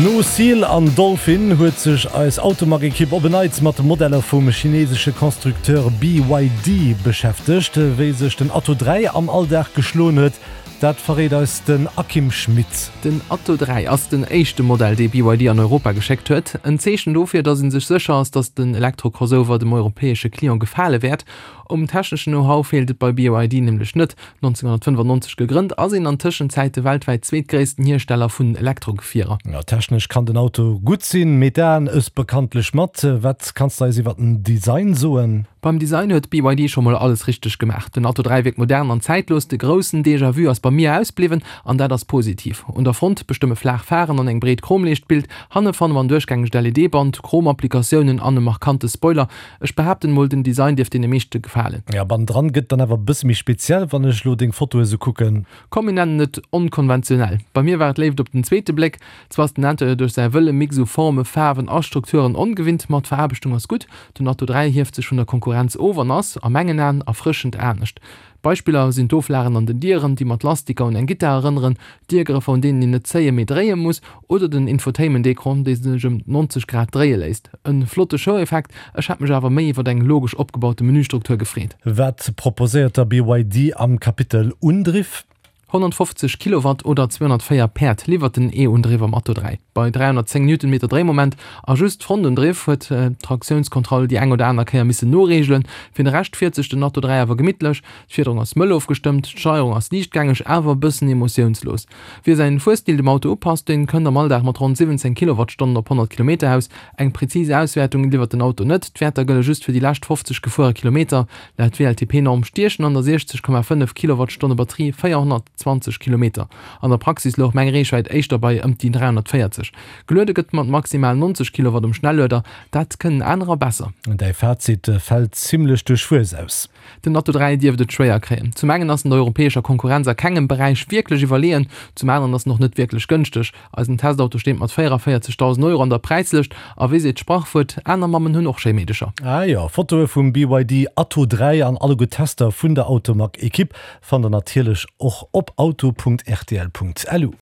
No Seal an Dolphin huet sech eis Automag-Ekipp op en Neits mat de Modeller vum chinesesche Constructeur BYD beschäftegt. Wéi sech den Atto 3 am Alldag geschloen huet, dat verréit eis den Akim Schmit. Den Atto 3 ass den éischte Modell, dee BYD an Europa geschéckt huet. En Zeechen dofir, datt ee sech sécher ass, datt den Elektro-Crossover dem europäesche Client gefale wäert. Um techneschen Know-how feelt et bei BYD nämlech net. 1995 gegrënnt, ass een an Tëschenzäit de weltwäit zweetgréissten Hiersteller vun Elektrogefierer. Technesch kann den Auto gutt sinn, mee d'Aen ëss bekanntlech mat. Wat kanns de eis iwwer den Design soen? Beim Design huet BYD scho mol alles richteg gemaach. Den Atto 3 wierkt modern an zäitlos, de groussen Déjà-vu ass bei mir ausbliwwen an dat ass positiv. Un der Front bestëmme flaach Pharen an eng breet Chromleescht d'Bild, hanne fanne mer en duerchgängegt LED-Band, Chromapplikatiounen an e markante Spoiler. Ech behaapten mol, den Design dierft deene meeschte gefalen. Jo, bannendran gëtt dann awer e bësse méi speziell, wann ech lo deng Fotoe sou kucken. Komm mir nennen et onkonventionell. Bei mir war et Léift op den zweete Bléck. Zwar ass den Interieur duerch säi wëlle Mix u Forme, Faarwen a Strukturen ongewinnt, ma d'Veraarbechtung ass gutt. Den Atto 3 hieft sech vun der Konkurrenz of an ass, a mengen Aen, erfrëschend anescht. Beispiller sinn d'Oflagen an den Dieren, déi mat Lastiker un eng Gittar erënneren, Diergrëffer, un deenen een net zéien, mee dréie muss, oder den Infotainment-Ecran, dee sech ëm 90 Grad dréie léisst. E flotte Show-Effekt, ech hätt mech awer méi iwwer eng logesch opgebaute Menüstruktur gefreet. Wat proposéiert da BYD am Kapitel Undriff? 150 Kilowatt oder 204 Päerd liwwert den E-Undriff am Atto 3. Bei 310 Newtonmeter Dréimoment a just Frontundriff huet d'Traktiounskontroll déi eng oder aner Kéier missen noreegelen. Fir de Rescht fiert sech den Atto 3 awer gemittlech. D'Fiederung ass mëll ofgestëmmt, d'Steierung ass liichtgängeg, awer e bëssen emotiounslos. Wie säin Fuerstil dem Auto upasst, deen kënnt am Alldag mat ronn 17 Kilowattstonnen op 100 Kilometer aus. Eng prezis Auswäertung liwwert den Auto net, d'Wäerter gëlle just fir déi lescht 50 gefuere Kilometer. Laut WLTP-Norm stiechen an der 60,5 Kilowattstonne Batterie 420 Kilometer. An der Praxis louch meng Reechwäit éischter bei ëm déi 340. Geluede gëtt mat maximal 90 Kilowatt um Schnellueder, dat kënnen anerer besser. Däi Fazit fält zimmlech duerchwuess aus. Den Atto 3 dierft et schwéier kréien. Zum engen ass en der europäescher Konkurrenz a kengem Beräich wierklech iwwerleeën, zum aneren ass en och net wierklech gënschteg. Eisen Testauto steet mat 44.000 Euro an der Präislëscht a wéi seet d'Sprachwuert, aner Mammen hunn och schéi Meedecher. Ah jo, Fotoe vum BYD Atto 3 an alleguer Tester vun der Automag-Ekipp fannt der natierlech och op auto.rtl.lu.